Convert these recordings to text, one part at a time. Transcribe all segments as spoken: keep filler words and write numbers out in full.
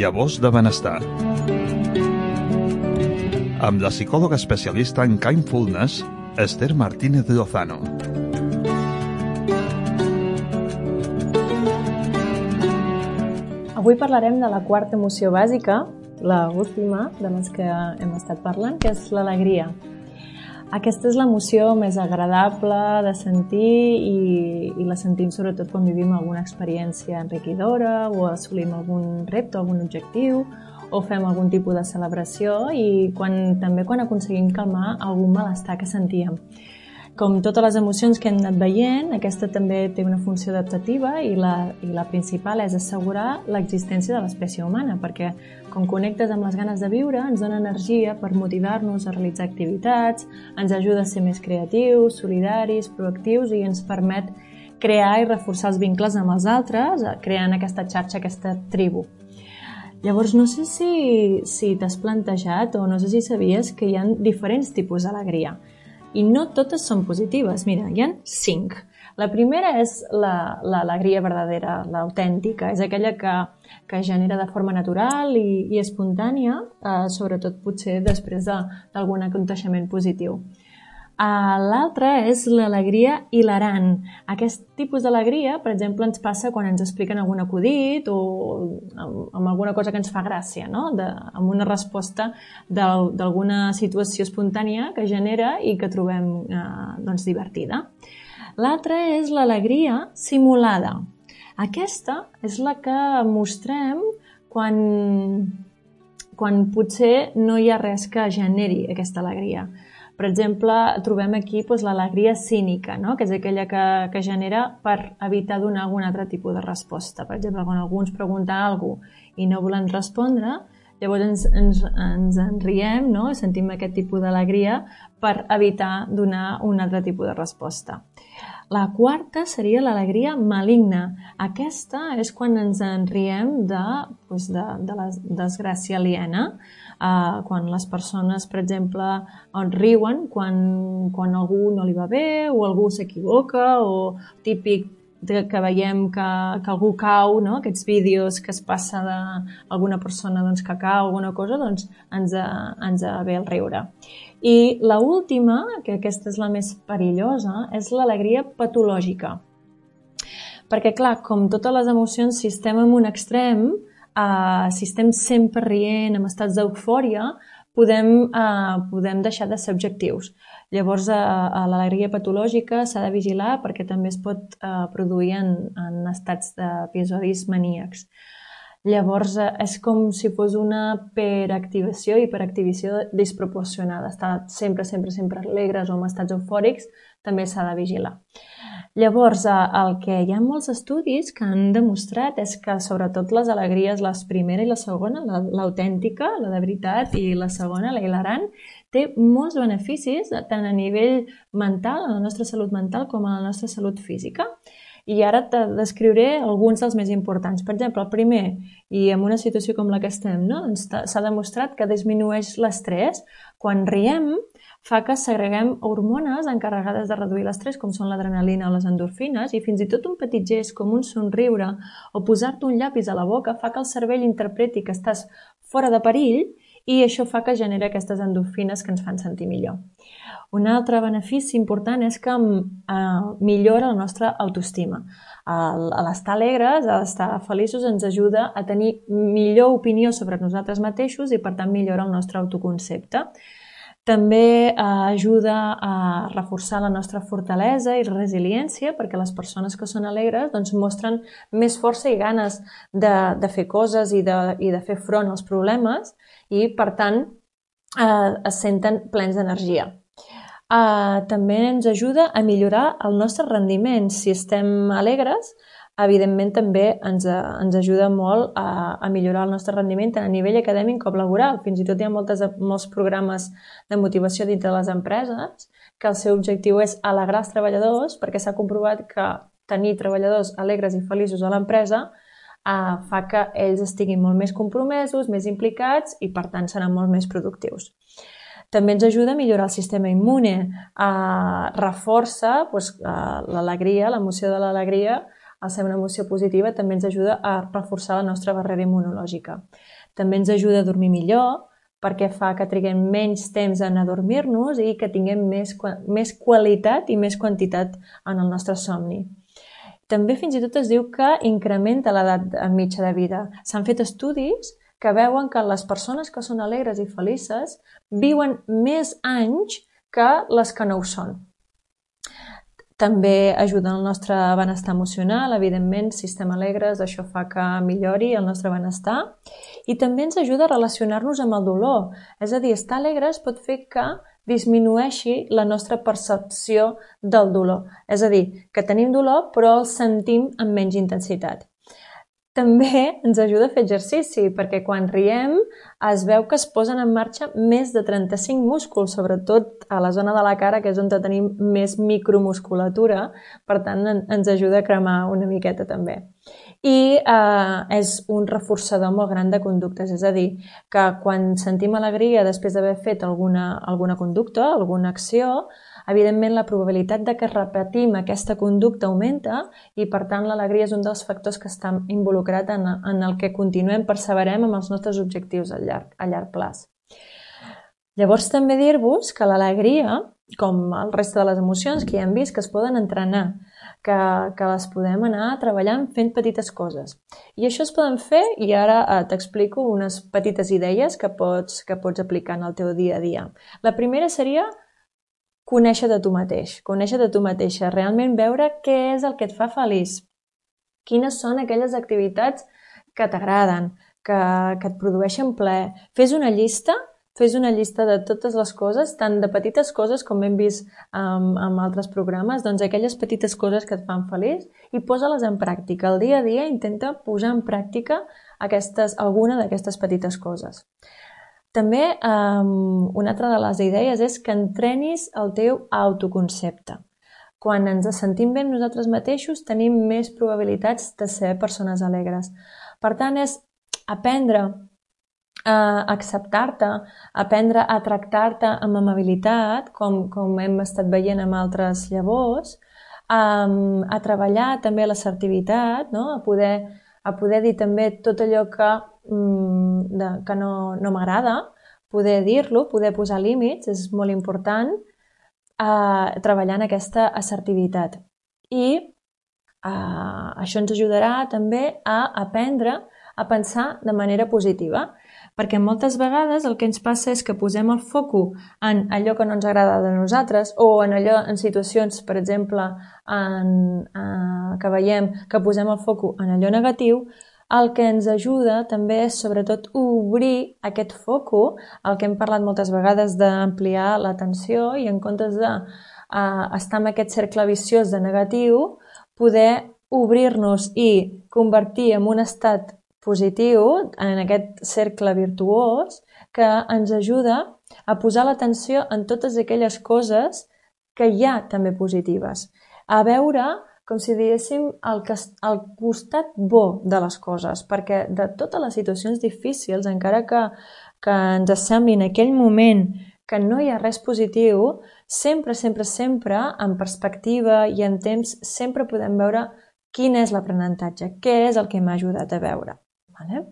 Llavors de benestar. Amb la psicòloga especialista en Kindfulness, Esther Martínez Lozano. Avui parlarem de la quarta emoció bàsica, la última de les que hem estat parlant, que és l'alegria. Aquesta és l'emoció més agradable de sentir i, i la sentim sobretot quan vivim alguna experiència enriquidora o assolim algun repte, algun objectiu o fem algun tipus de celebració i quan, també quan aconseguim calmar algun malestar que sentíem. Com totes les emocions que hem anat veient, aquesta també té una funció adaptativa i la, i la principal és assegurar l'existència de l'espècie humana, perquè quan connectes amb les ganes de viure ens dona energia per motivar-nos a realitzar activitats, ens ajuda a ser més creatius, solidaris, proactius i ens permet crear i reforçar els vincles amb els altres, creant aquesta xarxa, aquesta tribu. Llavors, no sé si, si t'has plantejat o no sé si sabies que hi ha diferents tipus d'alegria. I no totes són positives. Mira, hi ha cinc. La primera és l'alegria verdadera, l'autèntica. És aquella que, que genera de forma natural i, i espontània, eh, sobretot potser després d'algun aconteixement positiu. Uh, L'altra és l'alegria hilarant. Aquest tipus d'alegria, per exemple, ens passa quan ens expliquen algun acudit o amb, amb alguna cosa que ens fa gràcia, no? De, amb una resposta d'alguna situació espontània que genera i que trobem uh, doncs, divertida. L'altra és l'alegria simulada. Aquesta és la que mostrem quan, quan potser no hi ha res que generi aquesta alegria. Per exemple, trobem aquí doncs, l'alegria cínica, no? Que és aquella que, que genera per evitar donar algun altre tipus de resposta. Per exemple, quan algú ens pregunta alguna cosa i no volem respondre, llavors ens, ens, ens en riem, no? Sentim aquest tipus d'alegria per evitar donar un altre tipus de resposta. La quarta seria l'alegria maligna. Aquesta és quan ens en riem de, doncs, de, de la desgràcia aliena, Uh, quan les persones, per exemple, riuen quan, quan algú no li va bé o algú s'equivoca o típic que veiem que, que algú cau, no? Aquests vídeos que es passa d'alguna persona doncs, que cau, alguna cosa, doncs ens, ens ve el riure. I l'última, que aquesta és la més perillosa, és l'alegria patològica. Perquè, clar, com totes les emocions, si estem en un extrem, Uh, si estem sempre rient, en estats d'eufòria, podem, uh, podem deixar de ser objectius. Llavors, uh, uh, l'alegria patològica s'ha de vigilar perquè també es pot uh, produir en, en estats d'episodis maníacs. Llavors, uh, és com si fos una hiperactivació, hiperactivació desproporcionada. Estar sempre, sempre, sempre alegres o en estats eufòrics també s'ha de vigilar. Llavors, el que hi ha molts estudis que han demostrat és que sobretot les alegries, la primera i la segona, l'autèntica, la de veritat, i la segona, la hilarant, té molts beneficis tant a nivell mental, a la nostra salut mental, com a la nostra salut física. I ara te descriuré alguns dels més importants. Per exemple, el primer, i en una situació com la que estem, no? Doncs s'ha demostrat que disminueix l'estrès. Quan riem, fa que segreguem hormones encarregades de reduir l'estrès, com són l'adrenalina o les endorfines, i fins i tot un petit gest com un somriure o posar-te un llapis a la boca fa que el cervell interpreti que estàs fora de perill i això fa que genera aquestes endorfines que ens fan sentir millor. Un altre benefici important és que eh, millora la nostra autoestima. A l'estar alegres, a estar feliços, ens ajuda a tenir millor opinió sobre nosaltres mateixos i, per tant, millora el nostre autoconcepte. També eh, ajuda a reforçar la nostra fortalesa i resiliència perquè les persones que són alegres doncs, mostren més força i ganes de, de fer coses i de, i de fer front als problemes i, per tant, eh, es senten plens d'energia. Eh, també ens ajuda a millorar el nostre rendiment. Si estem alegres, evidentment també ens, ens ajuda molt a, a millorar el nostre rendiment tant a nivell acadèmic com laboral. Fins i tot hi ha moltes, molts programes de motivació dintre de les empreses que el seu objectiu és alegrar els treballadors perquè s'ha comprovat que tenir treballadors alegres i feliços a l'empresa eh, fa que ells estiguin molt més compromesos, més implicats i per tant seran molt més productius. També ens ajuda a millorar el sistema immune, eh, reforça doncs, eh, l'alegria, l'emoció de l'alegria, al ser una emoció positiva també ens ajuda a reforçar la nostra barrera immunològica. També ens ajuda a dormir millor, perquè fa que triguem menys temps en adormir-nos i que tinguem més, més qualitat i més quantitat en el nostre somni. També fins i tot es diu que incrementa l'edat mitja de vida. S'han fet estudis que veuen que les persones que són alegres i felices viuen més anys que les que no ho són. També ajuda al nostre benestar emocional, evidentment, si estem alegres, això fa que millori el nostre benestar. I també ens ajuda a relacionar-nos amb el dolor. És a dir, estar alegres pot fer que disminueixi la nostra percepció del dolor. És a dir, que tenim dolor però el sentim amb menys intensitat. També ens ajuda a fer exercici, perquè quan riem es veu que es posen en marxa més de trenta-cinc músculs, sobretot a la zona de la cara, que és on tenim més micromusculatura, per tant ens ajuda a cremar una miqueta també. I eh, és un reforçador molt gran de conductes, és a dir, que quan sentim alegria després d'haver fet alguna, alguna conducta, alguna acció, evidentment la probabilitat de que repetim aquesta conducta augmenta i per tant l'alegria és un dels factors que està involucrat en, en el que continuem, perseverem amb els nostres objectius a llarg, a llarg plaç. Llavors també dir-vos que l'alegria, com el reste de les emocions que ja hem vist, que es poden entrenar, que, que les podem anar treballant fent petites coses. I això es poden fer, i ara eh, t'explico unes petites idees que pots, que pots aplicar en el teu dia a dia. La primera seria conèixer de tu mateix, conèixer de tu mateixa, realment veure què és el que et fa feliç, quines són aquelles activitats que t'agraden, que, que et produeixen plaer. Fes una llista, fes una llista de totes les coses, tant de petites coses com hem vist um, en altres programes, doncs aquelles petites coses que et fan feliç i posa-les en pràctica. El dia a dia intenta posar en pràctica aquestes, alguna d'aquestes petites coses. També um, una altra de les idees és que entrenis el teu autoconcepte. Quan ens sentim bé nosaltres mateixos tenim més probabilitats de ser persones alegres. Per tant, és aprendre a acceptar-te, aprendre a tractar-te amb amabilitat, com, com hem estat veient amb altres llavors, um, a treballar també l'assertivitat, no? a poder a poder dir també tot allò que, mm, de, que no, no m'agrada, poder dir-lo, poder posar límits, és molt important eh, treballar en aquesta assertivitat. I eh, això ens ajudarà també a aprendre a pensar de manera positiva, perquè moltes vegades el que ens passa és que posem el foco en allò que no ens agrada de nosaltres o en allò, en situacions, per exemple, en, eh, que veiem que posem el foco en allò negatiu. El que ens ajuda també és sobretot obrir aquest foco, el que hem parlat moltes vegades d'ampliar l'atenció i en comptes de eh, estar en aquest cercle viciós de negatiu, poder obrir-nos i convertir en un estat positiu, en aquest cercle virtuós, que ens ajuda a posar l'atenció en totes aquelles coses que hi ha també positives. A veure, com si diguéssim, el, el costat bo de les coses, perquè de totes les situacions difícils, encara que, que ens sembli en aquell moment que no hi ha res positiu, sempre, sempre, sempre, en perspectiva i en temps, sempre podem veure quin és l'aprenentatge, què és el que m'ha ajudat a veure. Vale?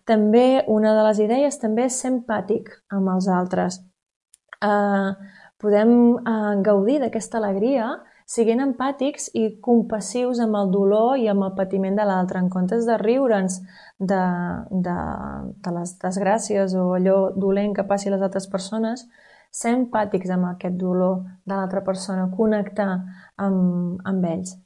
També una de les idees també és ser empàtic amb els altres. Eh, podem eh, gaudir d'aquesta alegria siguent empàtics i compassius amb el dolor i amb el patiment de l'altre, en comptes de riure'ns de, de, de les desgràcies o allò dolent que passi a les altres persones, ser empàtics amb aquest dolor de l'altra persona, connectar amb, amb ells.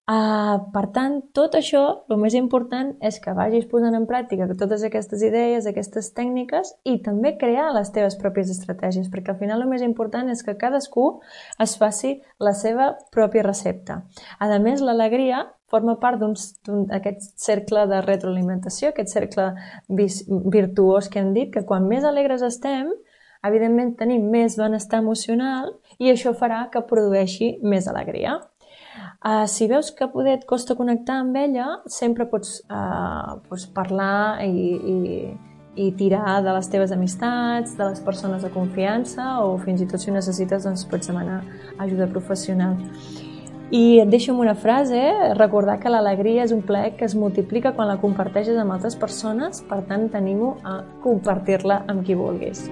Uh, per tant, tot això, el més important és que vagis posant en pràctica totes aquestes idees, aquestes tècniques i també crear les teves pròpies estratègies, perquè al final el més important és que cadascú es faci la seva pròpia recepta. A més, l'alegria forma part d'aquest cercle de retroalimentació, aquest cercle virtuós que hem dit, que quan més alegres estem, evidentment tenim més benestar emocional i això farà que produeixi més alegria. Uh, si veus que poder et costa connectar amb ella, sempre pots, uh, pots parlar i, i, i tirar de les teves amistats, de les persones de confiança o fins i tot si ho necessites doncs pots demanar ajuda professional. I et deixo amb una frase, recordar que l'alegria és un plaer que es multiplica quan la comparteixes amb altres persones, per tant t'animo a compartir-la amb qui vulguis.